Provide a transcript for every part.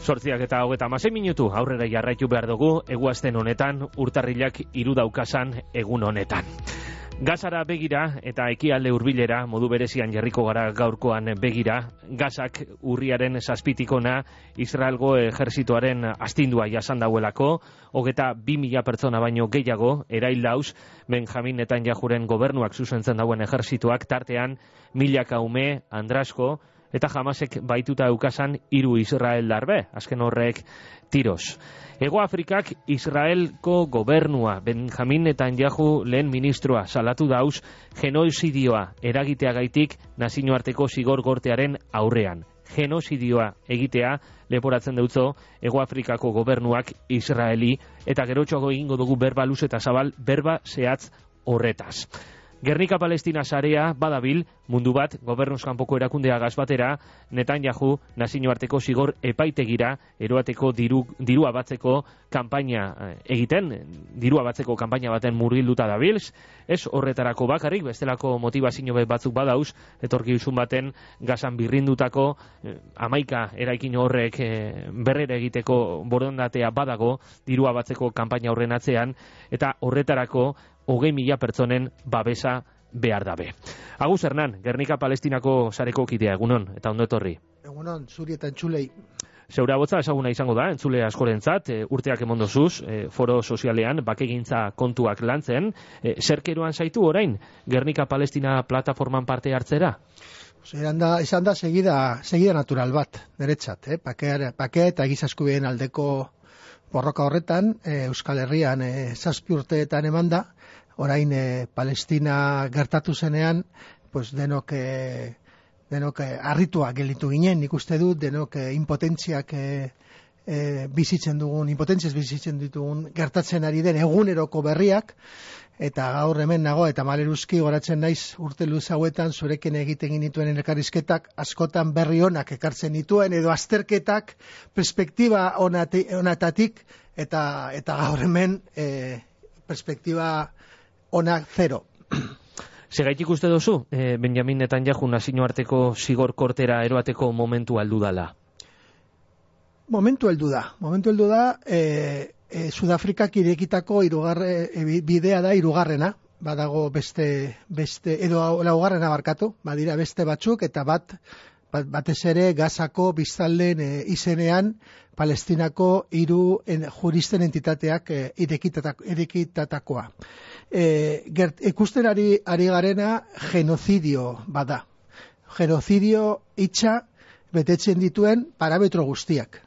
8:36 aurrera jarraitu behar dugu, eguazten honetan, urtarrilak 3 daukasan egun honetan. Gazara begira eta ekialde hurbilera modu berezian jarriko gara gaurkoan begira, Gazak urriaren 7 Israelgo ejerzitoaren astindua jasan dauelako, 22.000 pertsona baino gehiago erail dauz Benjamin Netanyahuren gobernuak zuzentzen dauen ejerzitoak, tartean milaka ume, andrasko, eta Hamasek baituta eukasan 3 Israeldar be, azken horrek tiroz. Hego Afrikak Israelko gobernua, Benjamin Netanyahu lehen ministroa salatu dauz genozidioa eragiteagaitik nazioarteko zigor gortearen aurrean. Genozidioa egitea leporatzen deutzo Hego Afrikako gobernuak Israeli, eta gerotxoago egingo dugu berba luz eta zabal, berba zehatz horretaz. Gernika Palestina sarea badabil, mundu bat, gobernuz kanpoko erakundea batera, Netanyahu nazioarteko zigor epaitegira eroateko dirua batzeko kanpaina egiten, dirua batzeko kanpaina baten murgilduta dabilz, ez horretarako bakarrik, bestelako motivazio batzuk badauz, etorkizun baten Gazan birrindutako 11 eraikin horrek berrera egiteko borondatea badago, dirua batzeko kanpaina horren atzean, eta horretarako 20.000 pertsonen babesa behar dabe. Agus Hernan, Gernika Palestinako sareko kidea, egunon, eta ondo etorri. Egunon, zuri eta entzulei. Zeura botza ezaguna izango da, entzule askorentzat, urteak emondozuz, foro sozialean, bakegintza kontuak lantzen, zerkeroan zaitu orain, Gernika Palestina plataforman parte hartzera? Esan da segida natural bat, niretzat, pakea eta gizaskubien aldeko borroka horretan, Euskal Herrian 7 urteetan emanda, orain Palestina gertatu zenean, pues denok harritua gelditu ginen, nik uste dut, denok impotentziaz bizitzen ditugun gertatzen ari den eguneroko berriak, eta gaur hemen nago eta maleruzki goratzen naiz urte luze hauetan zurekin egiten dituen elkarrizketak askotan berri onak ekartzen dituen, edo azterketak perspektiba onatatik, eta gaur hemen perspektiba onak zero. Segaitik uste dozu, Benjamin Netanyahu nazioarteko zigor kortera eroateko momentu aldu dala? Momentu heldu da, Sudafrikak irekitako bidea da 3. Badago beste edo laugarrena barkatu, badira beste batzuk, eta batez ere Gazako biztanleen izenean Palestinako 3 juristen entitateak irekitatakoa. Ikusten ari garena genozidio bada. Genozidio hitza betetzen dituen parametro guztiak.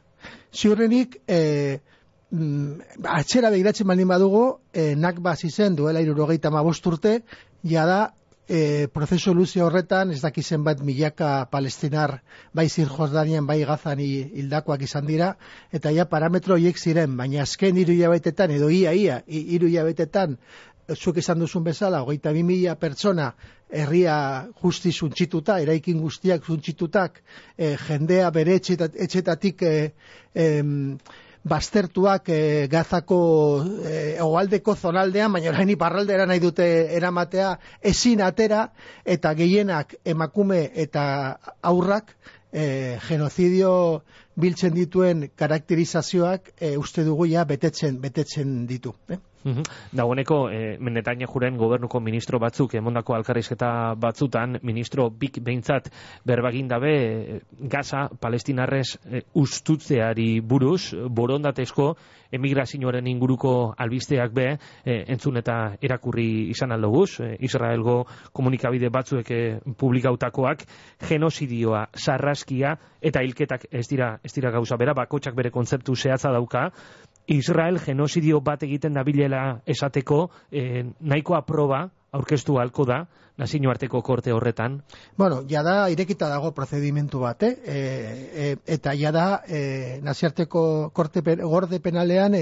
Ziurrenik, atxera begiratzen baldin badugu, Nakba izen duela 75 urte, jada prozesu luze horretan, ez dakizen bat milaka palestinar, bai Zirjordanian, bai Gazan hildakoak izan dira, eta ja parametro horiek ziren, baina azken 3 hilabetetan, edo ia 3 hilabetetan, zuk esan duzun bezala, 22.000 pertsona herria justi zuntxituta, eraikin guztiak zuntxitutak, jendea bere etxetatik baztertuak Gazako hegoaldeko zonaldean, baina orain iparraldera nahi dute eramatea, ezin atera, eta gehienak emakume eta aurrak genozidio biltzen dituen karakterizazioak uste dugu ja betetzen ditu. Dagoeneko, Netanyahuren gobernuko ministro batzuk emondako alkarrizketa batzutan, ministro bik behintzat berbagin dabe Gaza palestinarrez ustutzeari buruz, borondatezko emigrazioaren inguruko albisteak be, entzun eta erakurri izan aldoguz, Israelgo komunikabide batzuek publikautakoak, genozidioa, sarraskia eta hilketak ez dira gauza bera, bakotxak bere kontzeptu zehatza dauka. Israel genozidio bat egiten dabilela esateko nahikoa proba aurkeztu halko da nazioarteko korte horretan? Bueno, jada irekita dago prozedimentu bat, eta jada nazioarteko gorde penalean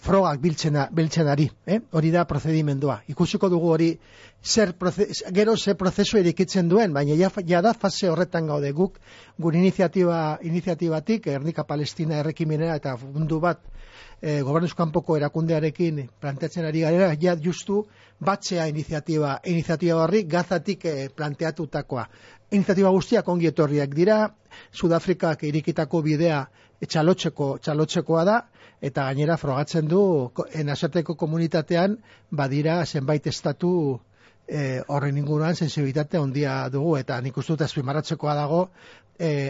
frogak biltzen ari, hori da prozedimendua. Ikusiko dugu hori gero ze prozesu irekitzen duen, baina jada fase horretan gaude guk, gure iniziatibatik, Gernika Palestina errekimenera eta mundu bat gobernuz kanpoko erakundearekin planteatzen ari garela, ja justu batzea iniziatiba iniziatiba horri Gazatik planteatutakoa. Iniziatiba guztiak ongi etorriak dira, Sudafrikak irikitako bidea txalotzekoa da, eta gainera frogatzen du nazioarteko komunitatean badira zenbait estatu horren inguruan sensibilitate handia dugu, eta nik uste dut azpimarratzekoa dago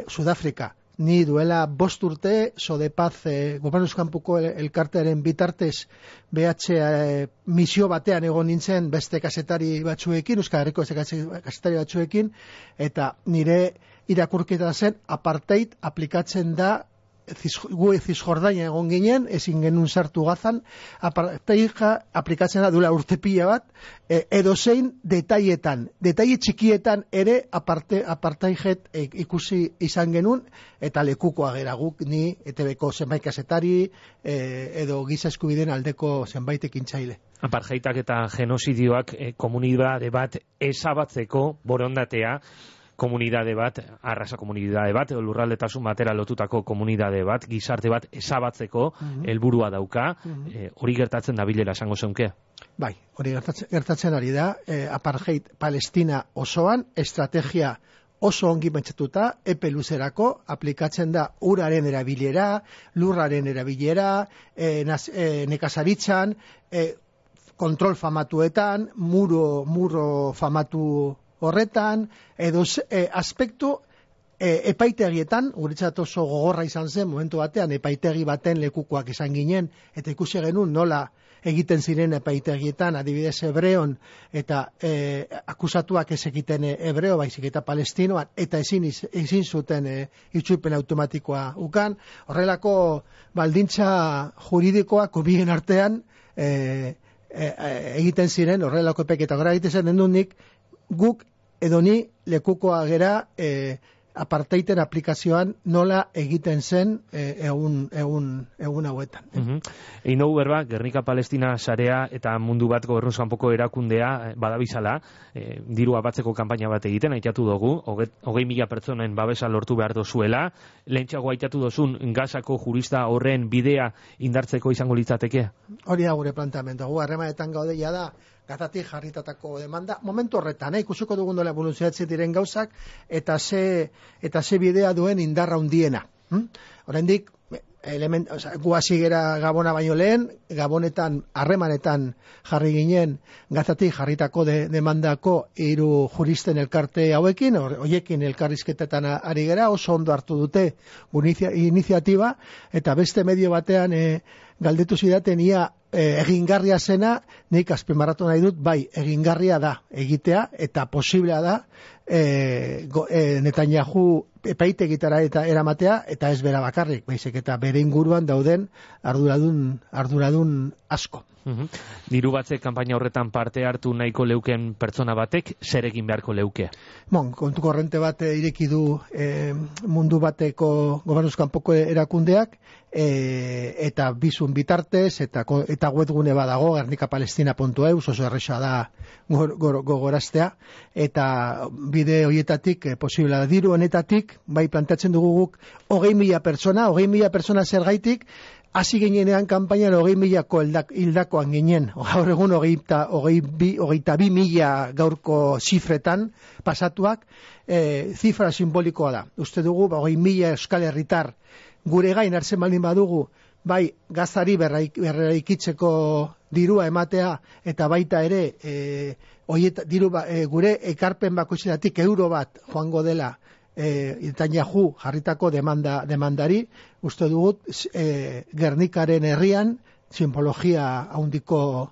Sudafrika. Ni duela 5 urte, Sodepaz gobernuzkanpuko elkartearen bitartez BH misio batean egon nintzen beste kazetari batzuekin, Euskal Herriko kazetari batzuekin, eta nire irakurketa zen apartheid aplikatzen da gu Zisjordania egon ginen, ezin genuen sartu Gazan, apartheida aplikatzen da duela urte pila bat, edozein detaile txikietan ere apartheid ikusi izan genuen, eta lekukoa gera guk, ni ETB-ko zenbait kazetari, edo giza eskubideen aldeko zenbait ekintzaile. Apartheidak eta genozidioak komunitate bat ezabatzeko borondatea, komunidade bat, arrasa komunidade bat, lurraldetasun batera lotutako komunidade bat, gizarte bat ezabatzeko helburua dauka, hori gertatzen da bilera esango zeunke? Bai, hori gertatzen ari da, apartheid Palestina osoan, estrategia oso ongi pentsatuta, epe luzerako, aplikatzen da uraren erabilera, lurraren erabilera, nekazaritzan, kontrol famatuetan, muro famatu horretan, edo aspektu epaitegietan, guretzat oso gogorra izan zen, momentu batean, epaitegi baten lekukoak izan ginen, eta ikusi genuen nola egiten ziren epaitegietan, adibidez hebreon, eta akusatuak ez egiten hebreo, baizik eta palestinoan, eta ezin zuten itzulpen automatikoa ukan. Horrelako baldintza juridikoak bien artean egiten ziren, horrelako epeketa gara egiten zen dendunik, guk edo ni lekukoa gera apartheiden aplikazioan nola egiten zen egun hauetan. Egin dugu berba, Gernika-Palestina sarea eta mundu bat gobernuz kanpoko erakundea badabizala, dirua batzeko kanpaina bat egiten, aitatu dugu, 20.000 pertsonen babesa lortu behar dozuela, lehentxago aitatu dozun Gazako jurista horren bidea indartzeko izango litzateke? Hori da gure planteamendu, gu harremanetan gaudeia da, Gazatik jarritatako demanda, momentu horretan, ikusiko dugun dola evoluzioatzen diren gauzak, eta ze bidea duen indarra hundiena. Oraindik, gu hasi gera Gabona baino lehen, Gabonetan, harremanetan jarri ginen, Gazatik jarritako demandako 3 juristen elkarte hauekin, horiekin elkarrizketetan ari gera, oso ondo hartu dute iniziatiba, eta beste medio batean galdetu zidaten ia egingarria zena, nik azpimarratu nahi dut, bai, egingarria da egitea, eta posiblea da Netanyahu epaitegitara eta eramatea, eta ez bera bakarrik, baizik eta bere inguruan dauden arduradun asko. Diru batzek kanpaina horretan parte hartu nahiko leuken pertsona batek, zer egin beharko leuke? Kontu korrente bat ireki du mundu bateko gobernuzkanpoko erakundeak, eta bizun bitartez, eta webgune badago, gernikapalestina.eu, oso erresa da gogoraztea, eta bide horietatik posible da. Diru honetatik, bai planteatzen dugu guk 20.000 pertsona zergaitik, hasi ginenean kanpainan 20.000 hildakoan ginen, gaur egun 22.000 gaurko zifretan pasatuak, zifra simbolikoa da. Uste dugu, 20.000 euskal herritar gure gain hartzen baldin badugu, bai Gazari berraikitzeko dirua ematea, eta baita ere gure ekarpen bakoitzetatik euro bat joango dela Netanyahu jarritako demandari, uste dugut Gernikaren herrian simbologia handiko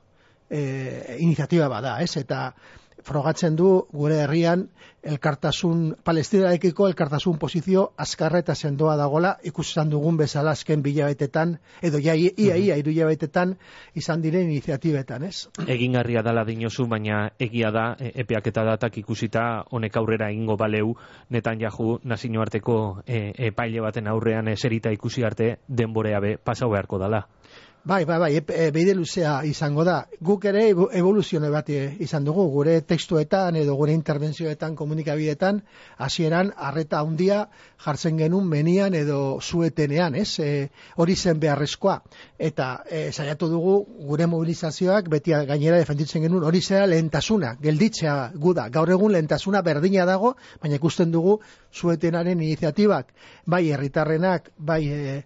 iniziatiba bada, ez? Eta frogatzen du gure herrian Palestinarekiko elkartasun posizio azkarra eta sendoa dagola, ikusten dugun bezala azken bilabetetan, edo ia 3 hilabetetan izan diren iniziatibetan, ez? Egingarria dala dinozu, baina egia da, epeak eta datak ikusita honek aurrera egingo baleu, Netanyahu nazioarteko epaile baten aurrean eserita ikusi arte denborea be pasau beharko dala. Bide luzea izango da. Guk ere evoluzione bat izan dugu, gure tekstuetan edo gure interbentzioetan, komunikabideetan, hasieran arreta handia jartzen genuen menian edo zuetenean, ez? Hori zen beharrezkoa. Eta saiatu dugu gure mobilizazioak beti gainera defenditzen genuen hori zera lehentasuna, gelditzea guda. Gaur egun lehentasuna berdina dago, baina ikusten dugu zuetenaren iniziatibak, bai herritarrenak, bai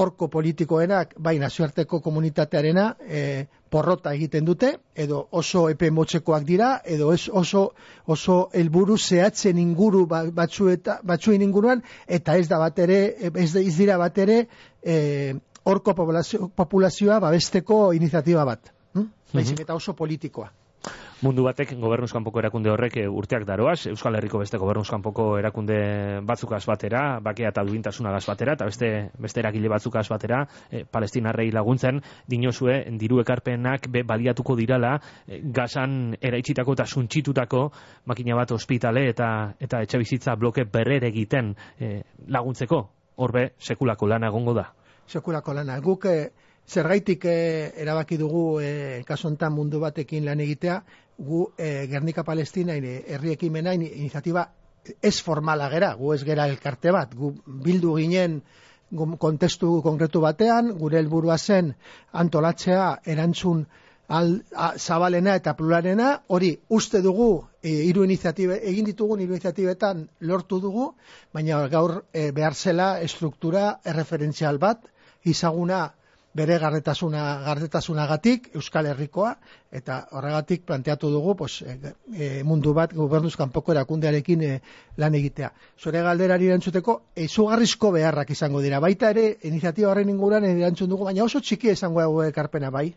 horko politikoenak, bai nazioarteko komunitatearena porrota egiten dute, edo oso epe motzekoak dira, edo oso helburu zehatzen inguru batzuen inguruan, eta ez dira bat ere horko populazioa babesteko iniziatiba bat. Baizik eta oso politikoa. Mundu batek gobernuz kanpoko erakunde horrek urteak daroaz, Euskal Herriko beste gobernuz kanpoko erakunde batzukaz batera, bakea eta duintasunagaz batera, eta beste eragile batzukaz batera, palestinarrei laguntzen, dinozue, diru ekarpenak baliatuko dirala, Gazan eraitsitako eta suntxitutako makina bat ospitale eta etxebizitza bloke berrere egiten laguntzeko, horbe sekulako lana egongo da. Sekulako lana, guk zergaitik erabaki dugu kasu honetan mundu batekin lan egitea, gu Gernika Palestina herri ekimena iniziatiba ez formala gera, gu ez gera elkarte bat, gu bildu ginen kontestu konkretu batean, gure helburua zen antolatzea erantzun zabalena eta pluralena, hori uste dugu egin ditugun hiru iniziatibetan lortu dugu, baina gaur behar zela estruktura erreferentzial bat, izaguna bere gardetasunagatik Euskal Herrikoa, eta horregatik planteatu dugu mundu bat gobernuz kanpoko erakundearekin lan egitea. Zure galderari erantzuteko izugarrizko beharrak izango dira. Baita ere, iniziatiba horren inguruan erantzun dugu, baina oso txiki izango dugu ekarpena, bai.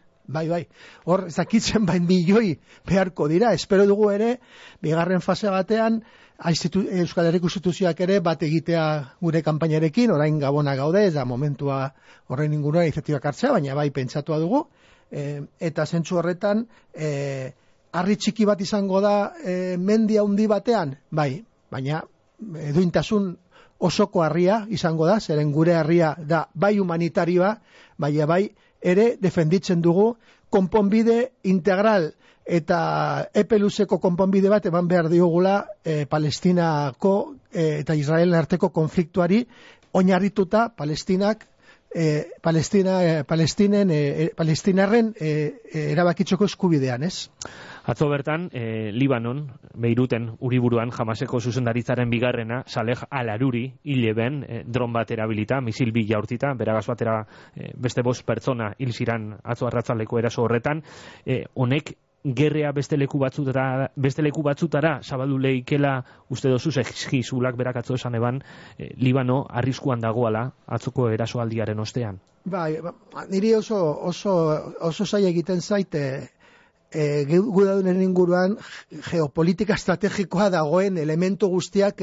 Hor, zakitzen milioi beharko dira. Espero dugu ere, bigarren fase batean, Euskal Herriko instituzioak ere bat egitea gure kanpainarekin, orain Gabona gaude, ez da momentua horren inguruan iniziatibak hartzea, baina bai pentsatua dugu, eta zentzu horretan, harri txiki bat izango da mendia handi batean, bai, baina duintasun osoko harria izango da, zeren gure harria da bai humanitarioa, baina bai ere defenditzen dugu konponbide integral eta epe luzeko konponbide bat eman behar diogula Palestinako eta Israelen arteko konfliktuari oinarrituta palestinarren erabakitzeko eskubidean, ez? Atzo bertan, Libanon, Beiruten, Uriburuan, Hamaseko zuzendaritzaren bigarrena, Saleh al-Aruri, hileben, dron bat erabilita, misil bi jaurtita, beragaz batera beste 5 pertsona hil ziran atzo arratzaldeko eraso horretan, honek gerrea beste leku batzutara zabaldu leikela uste dozu zehizulak berak atzo esan eban Libano arriskuan dagoala atzoko erasoaldiaren ostean. Niri oso zaila egiten zaite gudadunen inguruan geopolitika estrategikoa dagoen elementu guztiak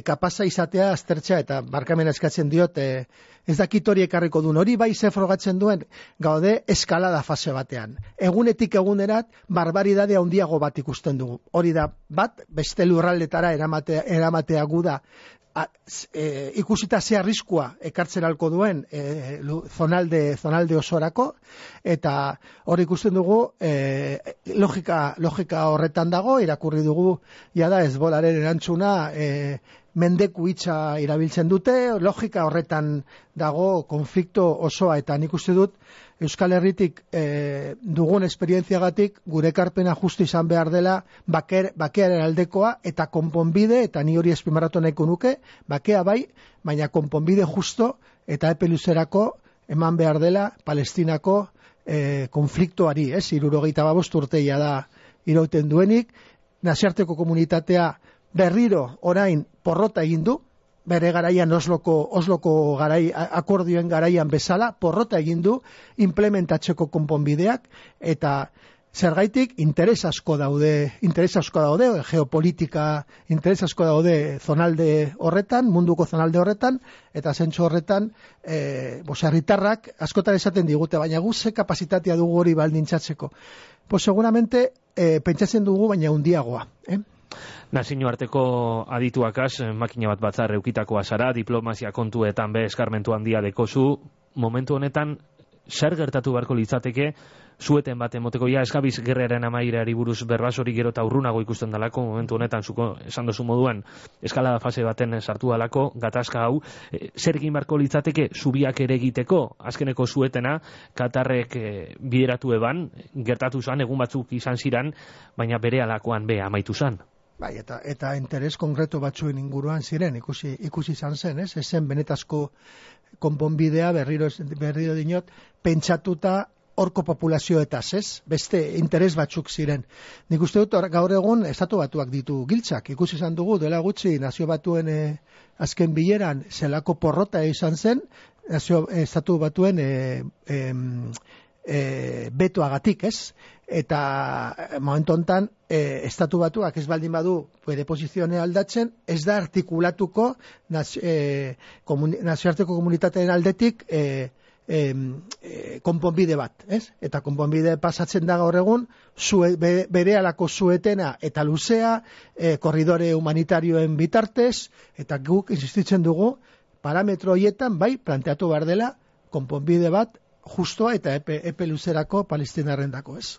kapasa izatea aztertzea, eta barkamena eskatzen diot, ez dakit hori ekarriko duen, hori bai ze frogatzen duen, gaude eskalada fase batean. Egunetik egunerat barbaridade handiago bat ikusten dugu. Hori da bat, beste lurraldetara eramatea guda, ikusita ze arriskua ekartzen alko duen zonalde osorako, eta hori ikusten dugu logika horretan dago, irakurri dugu jada Hezbollaren erantzuna mendeku hitza irabiltzen dute, logika horretan dago konflikto osoa, eta nik uste dut Euskal Herritik dugun esperientziagatik gure ekarpena justu izan behar dela bakearen aldekoa eta konponbide, eta ni hori azpimarratu nahiko nuke, bakea bai, baina konponbide justo eta epe luzerako eman behar dela Palestinako konfliktoari, 75 urteia da irauten duenik, nazioarteko komunitatea berriro orain porrota egin du, bere garaian Osloko akordioen garaian bezala, porrota egin du implementatzeko konponbideak, eta zergaitik interes asko daude geopolitika, interes asko daude zonalde horretan, munduko zonalde horretan, eta zentzu horretan herritarrak askotan esaten digute, baina guze kapasitatea dugu hori baldintzatzeko. Seguramente pentsatzen dugu, baina handiagoa, Nazio arteko adituakaz, makina bat batzar eukitakoa zara, diplomazia kontuetan be eskarmentu handia dekozu, momentu honetan zer gertatu beharko litzateke zueten bat emoteko, ja eskabiz gerraren amaierari buruz berbasori gero eta urrunago ikusten dalako, momentu honetan zuko esan dozu moduan eskalada fase baten sartu dalako, gatazka hau, zer egin beharko litzateke zubiak ere egiteko, azkeneko zuetena, Katarrek bideratu eban, gertatu zan, egun batzuk izan ziran, baina bere alakoan be amaitu zan. Bai, eta interes konkretu batzuen inguruan ziren, ikusi izan zen, ez? Ezen benetazko konponbidea berriro dinot, pentsatuta horko populazioetaz, ez? Beste interes batzuk ziren. Nik uste dut gaur egun estatu batuak ditu giltzak. Ikusi izan dugu, dela gutxi nazio batuen azken bileran zelako porrota izan zen, estatu batuen betoagatik, ez? Eta momentu hontan estatu batuak ez baldin badu bere posizioa aldatzen, ez da artikulatuko nazioarteko komunitateen aldetik konponbide bat, ez? Eta konponbide pasatzen da gaur egun berehalako zuetena eta luzea, korridore humanitarioen bitartez, eta guk insistitzen dugu parametro horietan bai planteatu behar dela konponbide bat justoa eta epe luzerako palestinarrendako, ez?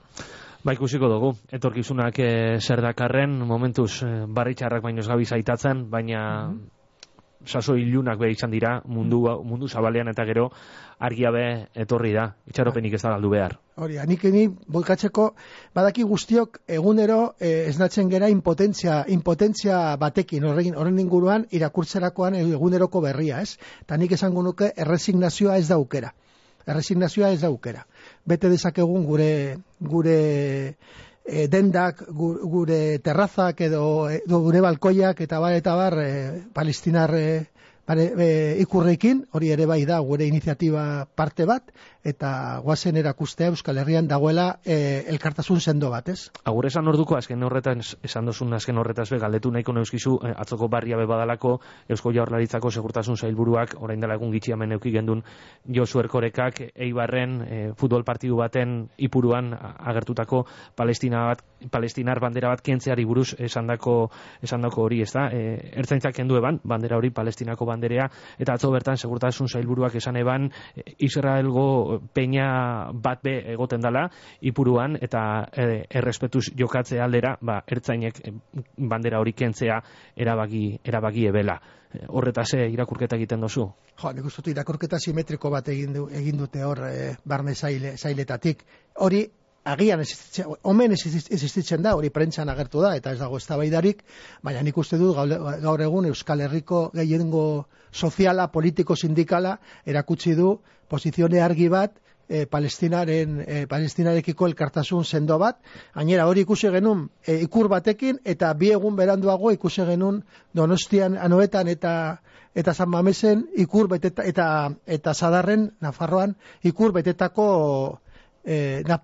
Ba, ikusiko dugu, etorkizunak zer dakarren, momentuz barritxarrak baino ez gabiz aitatzen, baina sasoi ilunak be izan dira mundu zabalean, eta gero argia be etorri da, itxaropenik ez da galdu behar. Hori, ni boikatzeko badaki guztiok egunero esnatzen gera impotentzia batekin, horren inguruan irakurtzerakoan eguneroko berria, ez? Eta nik esango nuke erresignazioa ez da aukera. Bete dezakegun gure dendak, gure terrazak edo gure balkoiak eta bar palestinar ikurrekin, hori ere bai da gure iniziatiba parte bat, eta guazen erakustea Euskal Herrian dagoela elkartasun sendo bat, ez? Agur esan orduko, esan dozun azken horretaz be, galdetu nahiko neuskizu, atzoko barria be badalako, Eusko Jaurlaritzako segurtasun sailburuak, orain dela egun gitxi hemen euki gendun Josu Erkorekak, Eibarren futbol partidu baten ipuruan agertutako palestinar bandera bat kentzeari buruz esandako hori, ez da? Ertzaintzak kendu eban, bandera hori Palestinako banderea, eta atzo bertan segurtasun sailburuak esan eban Israelgo peña bat be egoten dala ipuruan, eta errespetuz jokatze aldera, ertzainek bandera hori kentzea erabaki ebela. Horretaz irakurketa egiten dozu? Nik uste dut irakurketa simetriko bat egin dute hor barne zailetatik. Hori agian omen existitzen da, hori prentsan agertu da, eta ez dago eztabaidarik, baina nik uste dut gaur egun Euskal Herriko gehiengo soziala, politiko, sindikala erakutsi du posizione argi bat palestinarekiko elkartasun sendo bat. Gainera hori ikusi genuen ikur batekin, eta bi egun beranduago ikusi genuen Donostian, Anoetan eta San Mamesen ikur beteta, eta Sadarren, Nafarroan, ikur betetako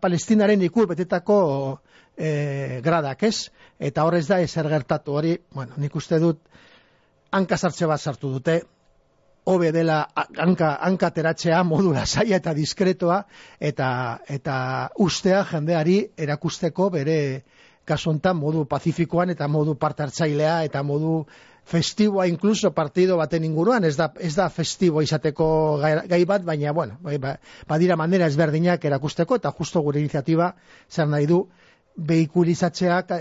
Palestinaren ikur betetako gradak, ez? Eta horrez da ezer gertatu hori, nik uste dut hanka sartze bat sartu dute, hobe dela hanka teratzea modu lasaia eta diskretoa, eta ustea jendeari erakusteko bere kasontan modu pazifikoan eta modu parte hartzailea eta modu festiboa, incluso partido baten inguruan, ez da festibo izateko gai bat, baina, badira manera ezberdinak erakusteko, eta justo gure iniziatiba zer nahi du, behikulizatzeak,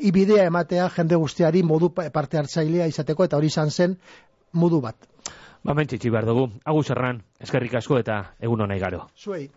ibidea ematea jende guztiari modu parte hartzailea izateko, eta hori izan zen modu bat. Mentxitsi behar dugu. Agus Erran, eskerrik asko eta egun honai garo. Zuei.